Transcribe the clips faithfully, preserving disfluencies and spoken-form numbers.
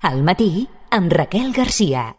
Al matí, amb Raquel Garcia.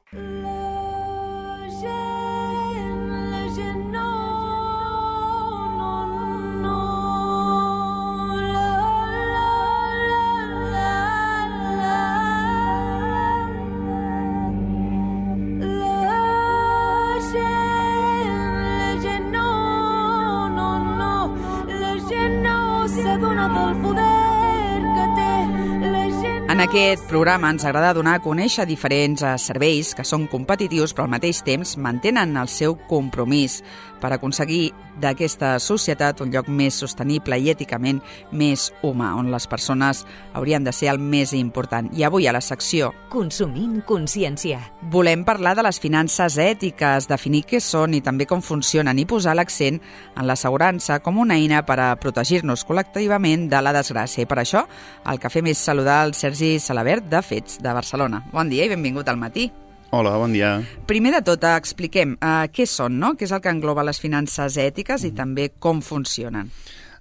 En aquest programa ens agrada donar a conèixer diferents serveis que són competitius però al mateix temps mantenen el seu compromís per aconseguir d'aquesta societat un lloc més sostenible i èticament més humà, on les persones haurien de ser el més important. I avui a la secció Consumint consciència volem parlar de les finances ètiques, definir què són i també com funcionen i posar l'accent en l'assegurança com una eina per a protegir-nos col·lectivament de la desgràcia. I per això el que fem és saludar el Sergi Salabert de Fets, de Barcelona. Bon dia i benvingut al matí. Hola, bon dia. Primer de tot, expliquem uh, què són, no? Què és el que engloba les finances ètiques i també com funcionen.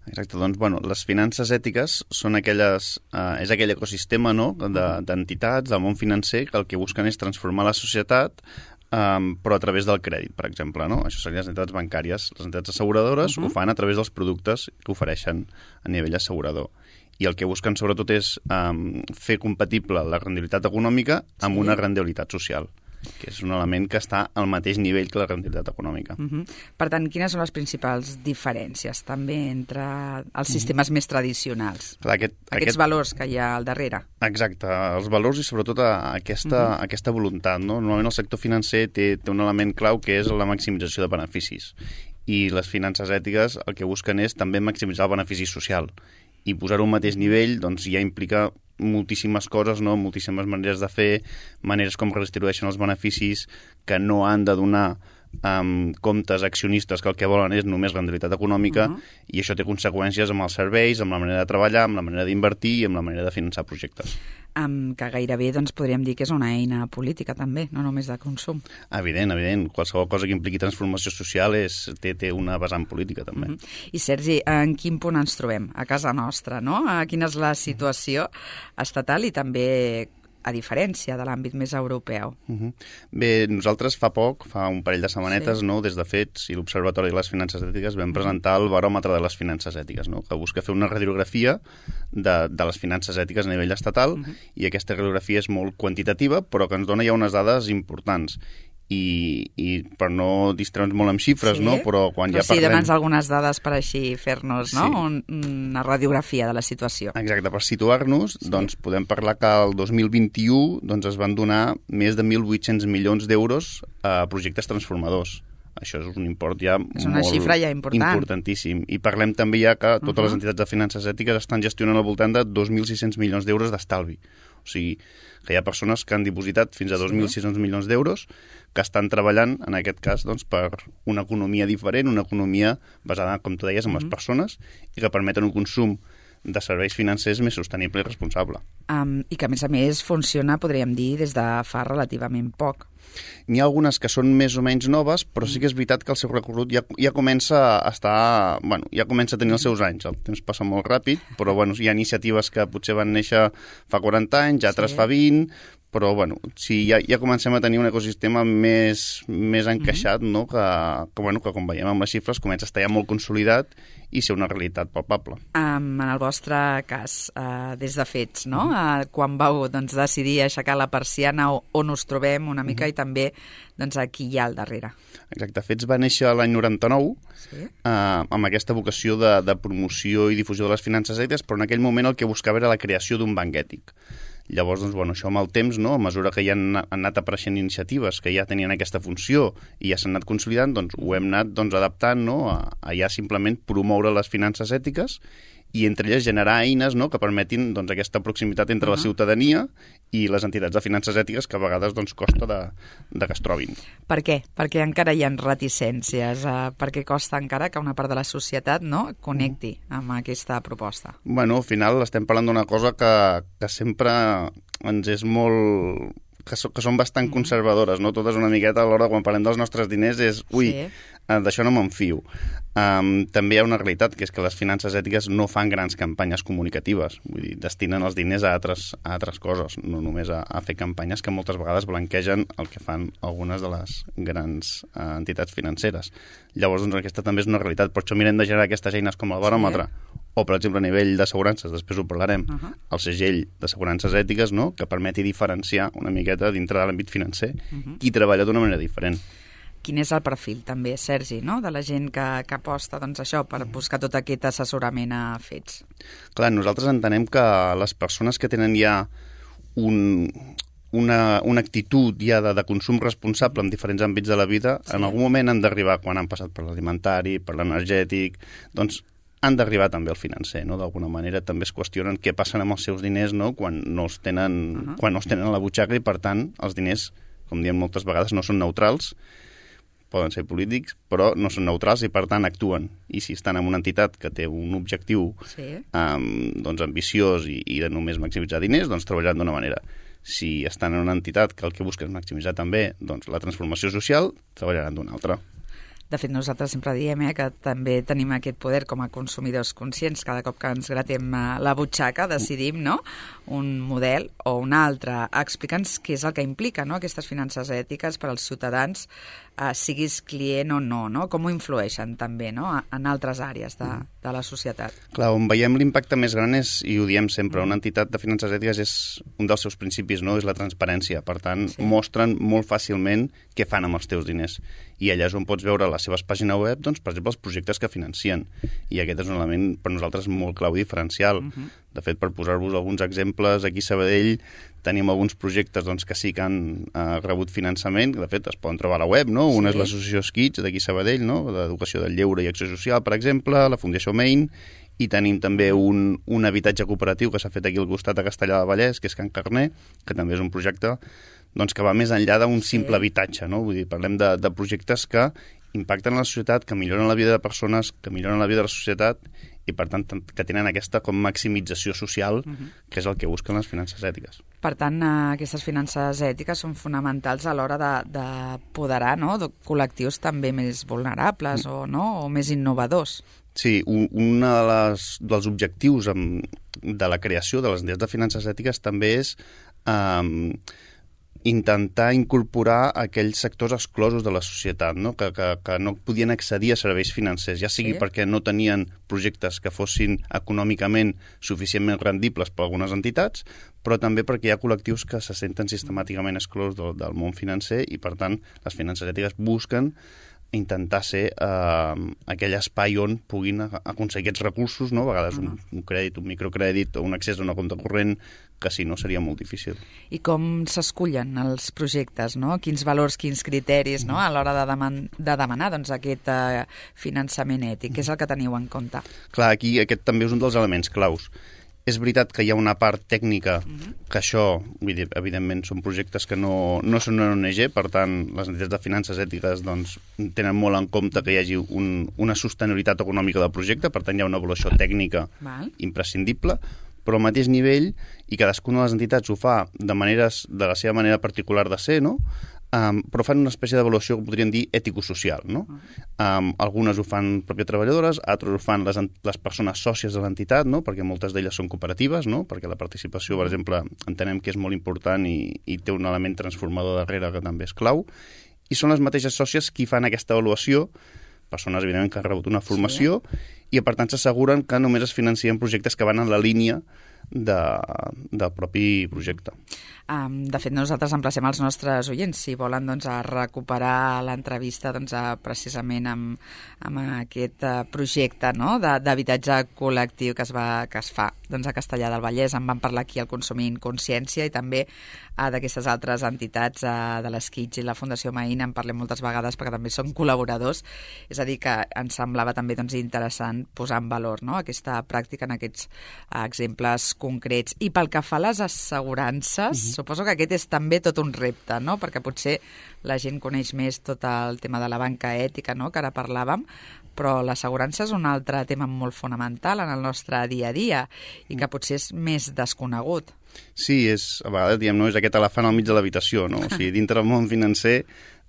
Exacte, doncs, bueno, les finances ètiques són aquelles, uh, és aquell ecosistema, no?, de, d'entitats del món financer que el que busquen és transformar la societat, um, però a través del crèdit, per exemple, no? Això serien les entitats bancàries. Les entitats asseguradores uh-huh. ho fan a través dels productes que ofereixen a nivell assegurador. I el que busquen sobretot és um, fer compatible la rendibilitat econòmica amb sí. una rendibilitat social, que és un element que està al mateix nivell que la rendibilitat econòmica. Uh-huh. Per tant, quines són les principals diferències també entre els sistemes uh-huh. més tradicionals? Clar, aquest, Aquests aquest... valors que hi ha al darrere. Exacte, els valors i sobretot aquesta, uh-huh. aquesta voluntat. No? Normalment el sector financer té, té un element clau que és la maximització de beneficis. I les finances ètiques el que busquen és també maximitzar el benefici social. I posar-ho al mateix nivell doncs, ja implica moltíssimes coses, no? Moltíssimes maneres de fer, maneres com redistribueixen els beneficis, que no han de donar um, comptes accionistes que el que volen és només rendibilitat econòmica, uh-huh. i això té conseqüències amb els serveis, amb la manera de treballar, amb la manera d'invertir i amb la manera de finançar projectes. Um, que gairebé doncs, podríem dir que és una eina política també, no només de consum. Evident, evident. Qualsevol cosa que impliqui transformació social és, té, té una vessant política també. Uh-huh. I Sergi, en quin punt ens trobem? A casa nostra, no? Quina és la situació estatal i també a diferència de l'àmbit més europeu? Uh-huh. Bé, nosaltres fa poc, fa un parell de setmanetes, sí. no, des de Fets i l'Observatori de les Finances Ètiques vam presentar el baròmetre de les finances ètiques, no? Que busca fer una radiografia de, de les finances ètiques a nivell estatal, uh-huh. i aquesta radiografia és molt quantitativa, però que ens dona ja unes dades importants. I, i per no distreure'ns molt amb xifres, sí? no? Però quan però ja parlem... sí, dona'ns algunes dades per així fer-nos, no? Sí. Un, una radiografia de la situació. Exacte, per situar-nos, sí. doncs podem parlar que el dos mil vint-i-u doncs, es van donar més de mil vuit-cents milions d'euros a projectes transformadors. Això és un import ja és una molt xifra ja important. importantíssim. I parlem també ja que totes uh-huh. les entitats de finances ètiques estan gestionant al voltant de dos mil sis-cents milions d'euros d'estalvi. O sigui, que hi ha persones que han dipositat fins a dos mil sis-cents milions d'euros que estan treballant, en aquest cas, doncs, per una economia diferent, una economia basada, com tu deies, en les uh-huh. persones i que permeten un consum de serveis financers més sostenible i responsable. Um, I que, a més a més, funciona, podríem dir, des de fa relativament poc. N'hi ha algunes que són més o menys noves, però sí que és veritat que el seu recorregut ja, ja comença a estar... Bueno, ja comença a tenir els seus anys. El temps passa molt ràpid, però bueno, hi ha iniciatives que potser van néixer fa quaranta anys, altres sí. fa vint, però bueno, sí, ja, ja comencem a tenir un ecosistema més, més encaixat, mm-hmm. no? que, que, bueno, que com veiem amb les xifres comença a estar ja molt consolidat i ser una realitat palpable. Um, en el vostre cas, uh, des de Fets, no? Uh, quan vau doncs, decidir aixecar la persiana on us trobem una mica mm-hmm. i també doncs, qui hi ha al darrere. Exacte, Fets va néixer l'any noranta-nou sí. uh, amb aquesta vocació de, de promoció i difusió de les finances ètiques, però en aquell moment el que buscava era la creació d'un banc ètic. Llavors, doncs, bueno, això amb el temps, no? A mesura que ja han, han anat apareixent iniciatives que ja tenien aquesta funció i ja s'han anat consolidant, doncs ho hem anat doncs, adaptant, no? a, a ja simplement promoure les finances ètiques i entre elles generar eines, no? Que permetin doncs, aquesta proximitat entre uh-huh. la ciutadania i les entitats de finances ètiques que a vegades doncs, costa de, de que es trobin. Per què? Perquè encara hi ha reticències, uh, perquè costa encara que una part de la societat no, connecti amb aquesta proposta. Bueno, al final estem parlant d'una cosa que, que sempre ens és molt... que, so, que són bastant conservadores, no? Totes una miqueta a l'hora, quan parlem dels nostres diners, és, ui, sí. uh, d'això no me'n fio. Um, també hi ha una realitat, que és que les finances ètiques no fan grans campanyes comunicatives, vull dir, destinen els diners a altres, a altres coses, no només a, a fer campanyes que moltes vegades blanquegen el que fan algunes de les grans uh, entitats financeres. Llavors, doncs, aquesta també és una realitat. Per això mirem de generar aquestes eines com el baròmetre, sí. o, per exemple, a nivell d'assegurances, després ho parlarem, uh -huh. el segell d'assegurances ètiques, no?, que permeti diferenciar una miqueta dintre de l'àmbit financer uh -huh. qui treballa d'una manera diferent. Quin és el perfil, també, Sergi, no?, de la gent que, que aposta, doncs, això, per buscar tot aquest assessorament a fets? Clar, nosaltres entenem que les persones que tenen ja un, una, una actitud ja de, de consum responsable en diferents àmbits de la vida, sí. en algun moment han d'arribar, quan han passat per l'alimentari, per l'energètic, doncs han d'arribar també al financer, no? D'alguna manera també es qüestionen què passen amb els seus diners, no?, quan no els tenen, uh-huh. quan no els tenen a la butxaca i, per tant, els diners, com diem moltes vegades, no són neutrals, poden ser polítics, però no són neutrals i, per tant, actuen. I si estan en una entitat que té un objectiu sí. um, doncs ambiciós i, i de només maximitzar diners, doncs treballaran d'una manera. Si estan en una entitat que el que busca és maximitzar també doncs, la transformació social, treballaran d'una altra. De fet, nosaltres sempre diem eh, que també tenim aquest poder com a consumidors conscients. Cada cop que ens gratem la butxaca decidim, no?, un model o un altre. Explica'ns què és el que implica, no?, aquestes finances ètiques per als ciutadans, eh, siguis client o no, no? Com ho influeixen també, no?, en altres àrees de, de la societat. Clar, on veiem l'impacte més gran és, i ho diem sempre, una entitat de finances ètiques és un dels seus principis, no?, és la transparència. Per tant, sí. mostren molt fàcilment què fan amb els teus diners. I allà és on pots veure a les seves pàgines web, doncs, per exemple, els projectes que financien. I aquest és un element per nosaltres molt clau i diferencial. Uh-huh. De fet, per posar-vos alguns exemples, aquí a Sabadell tenim alguns projectes doncs, que sí que han uh, rebut finançament, de fet es poden trobar a la web, no? Sí. Una és l'associació Skits d'aquí a Sabadell, no?, d'Educació del Lleure i Acció Social, per exemple, la Fundació Main, i tenim també un, un habitatge cooperatiu que s'ha fet aquí al costat a Castellar del Vallès, que és Can Carner, que també és un projecte doncs, que va més enllà d'un simple sí. habitatge, no? Vull dir, parlem de, de projectes que impacten en la societat, que milloren la vida de persones, que milloren la vida de la societat i, per tant, que tenen aquesta com maximització social, uh-huh. que és el que busquen les finances ètiques. Per tant, aquestes finances ètiques són fonamentals a l'hora d'apoderar, no?, de col·lectius també més vulnerables uh-huh. o, no? o més innovadors. Sí, un, un de dels objectius amb, de la creació de les entitats de finances ètiques també és um, intentar incorporar aquells sectors exclosos de la societat, no? Que, que, que no podien accedir a serveis financers, ja sigui sí. perquè no tenien projectes que fossin econòmicament suficientment rendibles per algunes entitats, però també perquè hi ha col·lectius que se senten sistemàticament exclosos del, del món financer i, per tant, les finances ètiques busquen intentar ser eh, aquell espai on puguin aconseguir aquests recursos, no? A vegades un, un crèdit, un microcrèdit o un accés a una compte corrent, que si no seria molt difícil. I com s'escullen els projectes, no? Quins valors, quins criteris, no?, a l'hora de, deman de demanar doncs, aquest eh, finançament ètic? Què és el que teniu en compte? Clar, aquí aquest també és un dels elements claus. És veritat que hi ha una part tècnica uh-huh. que això, vull dir, evidentment, són projectes que no, no són una O N G, per tant, les entitats de finances ètiques doncs, tenen molt en compte que hi hagi un, una sostenibilitat econòmica del projecte, per tant, hi ha una avaluació tècnica Val. imprescindible, però al mateix nivell, i cadascuna de les entitats ho fa de, maneres, de la seva manera particular de ser, no?, Um, però fan una espècie d'avaluació que podríem dir ètico-social, no? Um, algunes ho fan pròpies treballadores, altres ho fan les, les persones sòcies de l'entitat, no?, perquè moltes d'elles són cooperatives, no?, perquè la participació, per exemple, entenem que és molt important i, i té un element transformador darrere que també és clau, i són les mateixes sòcies qui fan aquesta avaluació, persones, evidentment, que han rebut una formació, sí. i, per tant, s'asseguren que només es financien projectes que van en la línia de, del propi projecte. Um, de fet, nosaltres emplacem els nostres oients, si volen doncs, a recuperar l'entrevista doncs, a, precisament amb, amb aquest uh, projecte, no?, d'habitatge col·lectiu que es, va, que es fa doncs, a Castellar del Vallès. En van parlar aquí al Consumint Consciència i també uh, d'aquestes altres entitats uh, de l'Skits i la Fundació Main en parlem moltes vegades perquè també són col·laboradors. És a dir, que ens semblava també doncs, interessant posar en valor, no?, aquesta pràctica en aquests uh, exemples concrets. I pel que fa a les assegurances, uh-huh. suposo que aquest és també tot un repte, no?, perquè potser la gent coneix més tot el tema de la banca ètica, no?, que ara parlàvem, però l'assegurança és un altre tema molt fonamental en el nostre dia a dia i que potser és més desconegut. Sí, és, a vegades diem, no, és aquest elefant al mig de l'habitació, no? O sigui, dintre del món financer,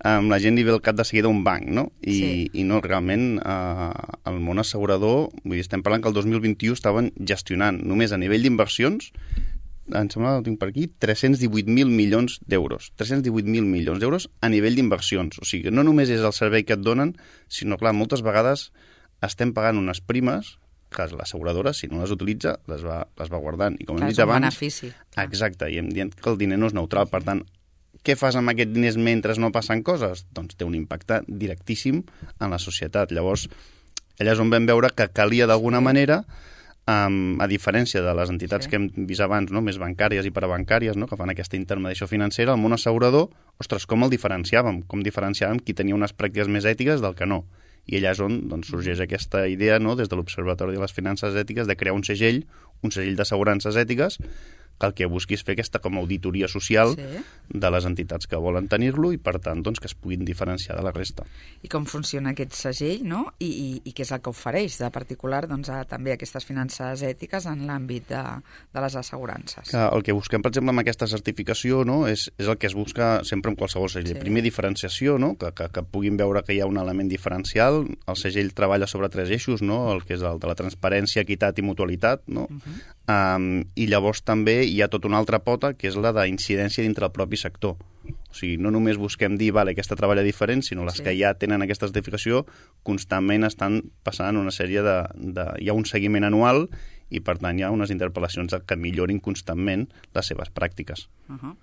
um, la gent li ve al cap de seguida un banc, no? I, sí. i no, realment, uh, el món assegurador, vull dir, estem parlant que el dos mil vint-i-u estaven gestionant, només a nivell d'inversions, em sembla, ho tinc per aquí, tres-cents divuit mil milions d'euros. tres-cents divuit mil milions d'euros a nivell d'inversions. O sigui, no només és el servei que et donen, sinó, clar, moltes vegades estem pagant unes primes que l'asseguradora, si no les utilitza, les va, les va guardant. I com hem dit abans... benefici. Exacte, i hem dit que el diner no és neutral. Per tant, què fas amb aquests diners mentre no passen coses? Doncs té un impacte directíssim en la societat. Llavors, allà és on vam veure que calia d'alguna manera, um, a diferència de les entitats sí. que hem vist abans, no? Més bancàries i parabancàries, no? Que fan aquesta intermediació financera, el món assegurador, ostres, com el diferenciàvem? Com diferenciàvem qui tenia unes pràctiques més ètiques del que no? I allà és on doncs, sorgeix aquesta idea, no? Des de l'Observatori de les Finances Ètiques, de crear un segell, un segell d'assegurances ètiques, que el que busqui és fer aquesta com a auditoria social sí. de les entitats que volen tenir-lo i, per tant, doncs, que es puguin diferenciar de la resta. I com funciona aquest segell, no? I, i, i què és el que ofereix de particular doncs, a, també aquestes finances ètiques en l'àmbit de, de les assegurances? Que el que busquem, per exemple, amb aquesta certificació, no? és, és el que es busca sempre en qualsevol segell. Sí. Primer, diferenciació, no? que, que, que puguin veure que hi ha un element diferencial. El segell treballa sobre tres eixos, no? El que és el de la transparència, equitat i mutualitat, no? Uh-huh. um, i llavors també hi ha tota una altra pota, que és la d'incidència dintre del propi sector. O sigui, no només busquem dir, vale, aquesta treballa diferent, sinó les sí. que ja tenen aquesta certificació constantment estan passant una sèrie de, de... Hi ha un seguiment anual i, per tant, hi ha unes interpel·lacions que millorin constantment les seves pràctiques. Uh-huh.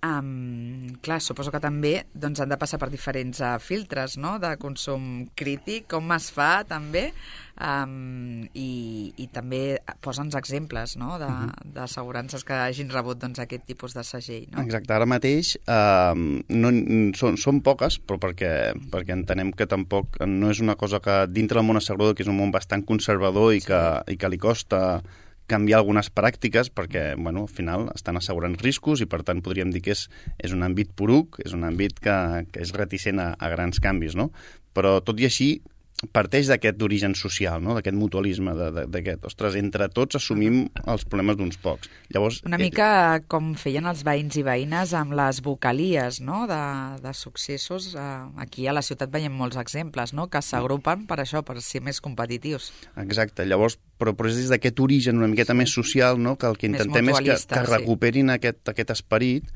Um, clar, suposo que també doncs, han de passar per diferents uh, filtres, no?, de consum crític, com es fa també, um, i, i també posa'ns exemples, no?, de, uh-huh. d'assegurances que hagin rebut doncs, aquest tipus de segell, no? Exacte, ara mateix uh, no, són, són poques, però perquè, perquè entenem que tampoc no és una cosa que dintre del món assegurador, que és un món bastant conservador i, sí. que, i que li costa canviar algunes pràctiques perquè, bueno, al final estan assegurant riscos i, per tant, podríem dir que és, és un àmbit poruc, és un àmbit que, que és reticent a, a grans canvis, no? Però, tot i així, parteix d'aquest origen social, no? D'aquest mutualisme, d'aquest, ostres, entre tots assumim els problemes d'uns pocs. Llavors, una mica eh... com feien els veïns i veïnes amb les vocalies, no?, de, de successos. Eh, aquí a la ciutat veiem molts exemples, no?, que s'agrupen per això, per ser més competitius. Exacte, llavors, però, però és des d'aquest origen una miqueta sí. més social, no?, que el que intentem és que, que recuperin sí. aquest, aquest esperit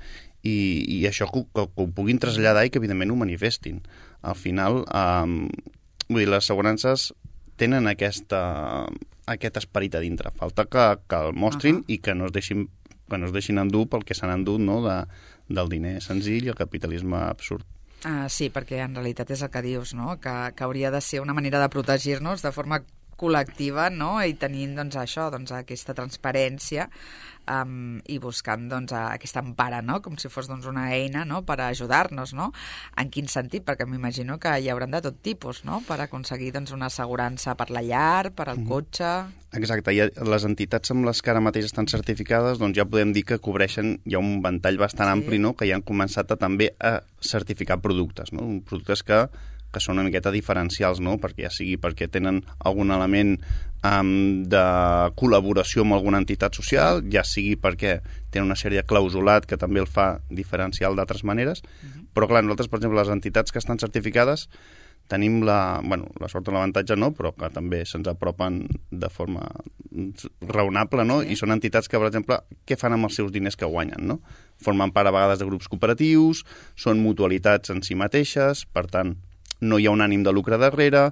i, i això que, que, que ho puguin traslladar i que, evidentment, ho manifestin. Al final, eh, vull dir, les assegurances tenen aquesta, aquest esperit a dintre. Falta que, que el mostrin uh-huh. i que no es deixin, que no es deixin endur pel que s'han endut, no?, de, del diner senzill i el capitalisme absurd. Uh, sí, perquè en realitat és el que dius, no?, que, que hauria de ser una manera de protegir-nos de forma col·lectiva, no?, i tenint doncs, això, doncs, aquesta transparència um, i buscant doncs, aquesta empara, no?, com si fos doncs, una eina, no?, per ajudar-nos, no? En quin sentit? Perquè m'imagino que hi hauran de tot tipus, no?, per aconseguir doncs, una assegurança per la llar, per al cotxe... Exacte, i les entitats amb les que ara mateix estan certificades doncs ja podem dir que cobreixen, hi ha un ventall bastant sí. ampli, no?, que ja han començat a, també a certificar productes, no?, productes que que són una miqueta diferencials, no?, perquè ja sigui perquè tenen algun element um, de col·laboració amb alguna entitat social, ja sigui perquè tenen una sèrie de clausulat que també el fa diferencial d'altres maneres, uh-huh. però clar, nosaltres, per exemple, les entitats que estan certificades tenim la, bueno, la sort o l'avantatge no, però que també se'ns apropen de forma raonable, no? Sí. I són entitats que, per exemple, què fan amb els seus diners que guanyen, no? Formen part a vegades de grups cooperatius, són mutualitats en si mateixes, per tant, no hi ha un ànim de lucre darrere.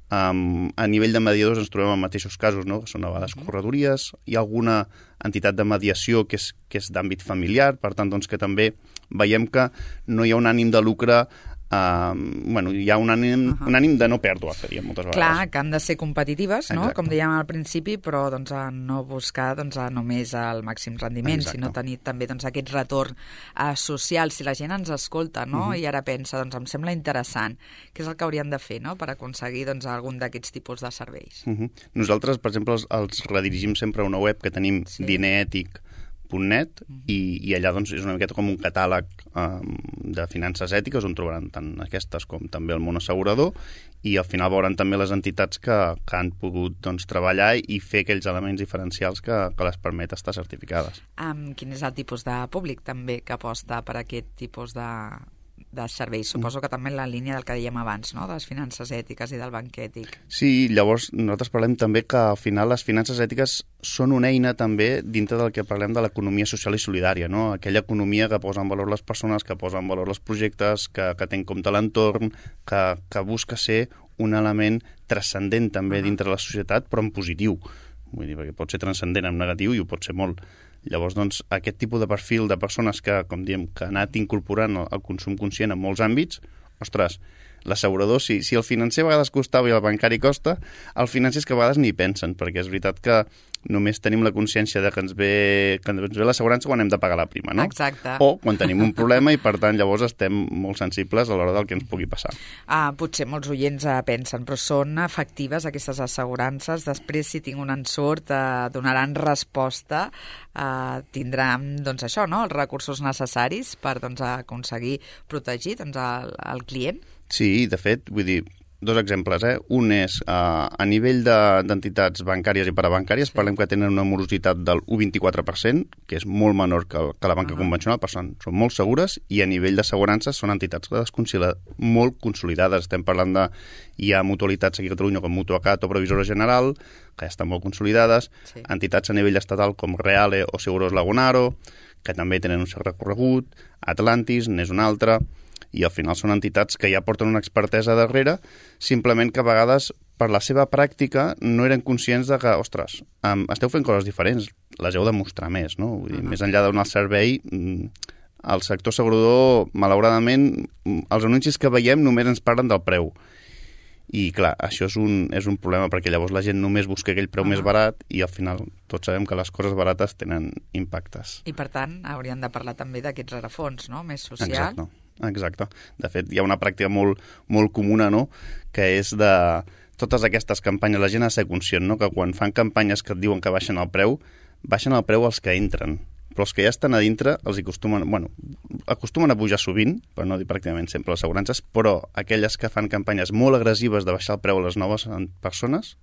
Um, a nivell de mediadors ens trobem en mateixos casos, no?, que són a vegades corredories. Hi ha alguna entitat de mediació que és, que és d'àmbit familiar, per tant, doncs, que també veiem que no hi ha un ànim de lucre. Uh, bueno, hi ha un ànim, uh-huh. un ànim de no pèrdua, que diem moltes vegades. Clar, que han de ser competitives, no?, exacte. Com dèiem al principi, però doncs, a no buscar doncs, a només el màxim rendiment, exacte. Sinó tenir també doncs, aquest retorn uh, social. Si la gent ens escolta, no?, uh-huh. i ara pensa, doncs em sembla interessant, què és el que haurien de fer, no?, per aconseguir doncs, algun d'aquests tipus de serveis. Uh-huh. Nosaltres, per exemple, els, els redirigim sempre a una web que tenim sí. dinerètic punt net i, i allà doncs, és una miqueta com un catàleg um, de finances ètiques on trobaran tant aquestes com també el món assegurador i al final veuran també les entitats que, que han pogut doncs, treballar i fer aquells elements diferencials que, que les permet estar certificades. Um, quin és el tipus de públic també que aposta per aquest tipus de, de serveis? Suposo que també en la línia del que dèiem abans, no? De les finances ètiques i del banc ètic. Sí, llavors nosaltres parlem també que al final les finances ètiques són una eina també dintre del que parlem de l'economia social i solidària, no? Aquella economia que posa en valor les persones, que posa en valor els projectes, que, que té en compte l'entorn, que, que busca ser un element transcendent també dintre de la societat, però en positiu. Vull dir, perquè pot ser transcendent en negatiu i ho pot ser molt. Llavors, doncs, aquest tipus de perfil de persones que, com diem, que ha anat incorporant el, el consum conscient en molts àmbits, ostres, l'assegurador, si, si el financer a vegades costava i el bancari costa, el financer és que a vegades ni pensen, perquè és veritat que només tenim la consciència de que ens ve, que ens ve l'assegurança quan hem de pagar la prima, no? Exacte. O quan tenim un problema i, per tant, llavors estem molt sensibles a l'hora del que ens pugui passar. Ah, potser molts oients eh, pensen, però són efectives aquestes assegurances? Després, si tinc un ensurt, eh, donaran resposta, eh, tindran, doncs això, no?, els recursos necessaris per doncs, aconseguir protegir doncs, el, el client? Sí, de fet, vull dir, dos exemples, eh? Un és, eh, a nivell d'entitats de, bancàries i parabancàries, sí. Parlem que tenen una morositat del un coma vint-i-quatre per cent, que és molt menor que, que la banca uh-huh. convencional, per tant, són molt segures, i a nivell d'assegurances són entitats molt consolidades. Estem parlant de... Hi ha mutualitats aquí a Catalunya com Mutuacat o Previsora General, que ja estan molt consolidades, sí. Entitats a nivell estatal com Reale o Seguros Lagunaro, que també tenen un cert recorregut, Atlantis n'és una altra, i al final són entitats que ja porten una expertesa darrere, simplement que a vegades per la seva pràctica no eren conscients de que, ostres, um, esteu fent coses diferents, les heu de mostrar més, no? Vull dir, uh-huh. Més enllà de donar el servei, el sector assegurador, malauradament, els anuncis que veiem només ens parlen del preu. I, clar, això és un, és un problema, perquè llavors la gent només busca aquell preu uh-huh. més barat i al final tots sabem que les coses barates tenen impactes. I, per tant, hauríem de parlar també d'aquests rerefons, no?, més social. Exacte. Exacte. De fet, hi ha una pràctica molt, molt comuna, no?, que és de totes aquestes campanyes. La gent ha de ser conscient, no?, que quan fan campanyes que et diuen que baixen el preu, baixen el preu els que entren. Però els que ja estan a dintre els acostumen, bueno, acostumen a pujar sovint, per no dir pràcticament sempre les assegurances, però aquelles que fan campanyes molt agressives de baixar el preu a les noves persones,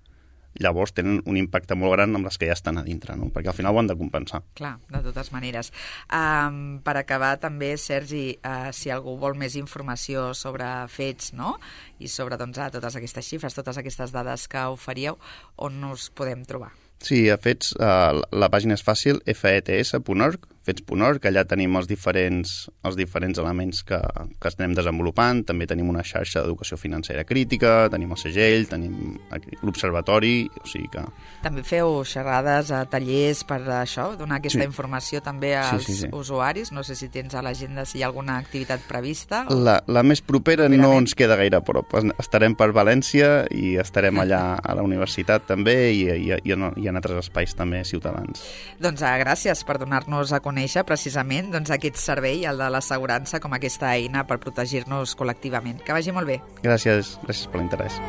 llavors tenen un impacte molt gran amb les que ja estan a dintre, no? Perquè al final ho han de compensar. Clar, de totes maneres. Um, per acabar, també, Sergi, uh, si algú vol més informació sobre fets, no?, i sobre doncs, totes aquestes xifres, totes aquestes dades que oferíeu, on us podem trobar? Sí, a Fets, uh, la pàgina és fàcil, f e t s punt org, fets punt org, allà tenim els diferents, els diferents elements que, que estem desenvolupant, també tenim una xarxa d'educació financera crítica, tenim el segell, tenim l'observatori, o sigui que... També feu xerrades, a tallers per això, donar aquesta sí. informació també als sí, sí, sí. usuaris, no sé si tens a l'agenda si hi ha alguna activitat prevista. O... La, la més propera no ens queda gaire a prop, estarem per València i estarem allà a la universitat també i, i, i, i en altres espais també ciutadans. Doncs ah, gràcies per donar-nos a conèixer precisament doncs, aquest servei, el de l'assegurança, com aquesta eina per protegir-nos col·lectivament. Que vagi molt bé. Gràcies, gràcies per l'interès.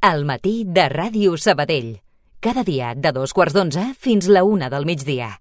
Al matí de Ràdio Sabadell. Cada dia de dos quarts d'onze fins la una del migdia.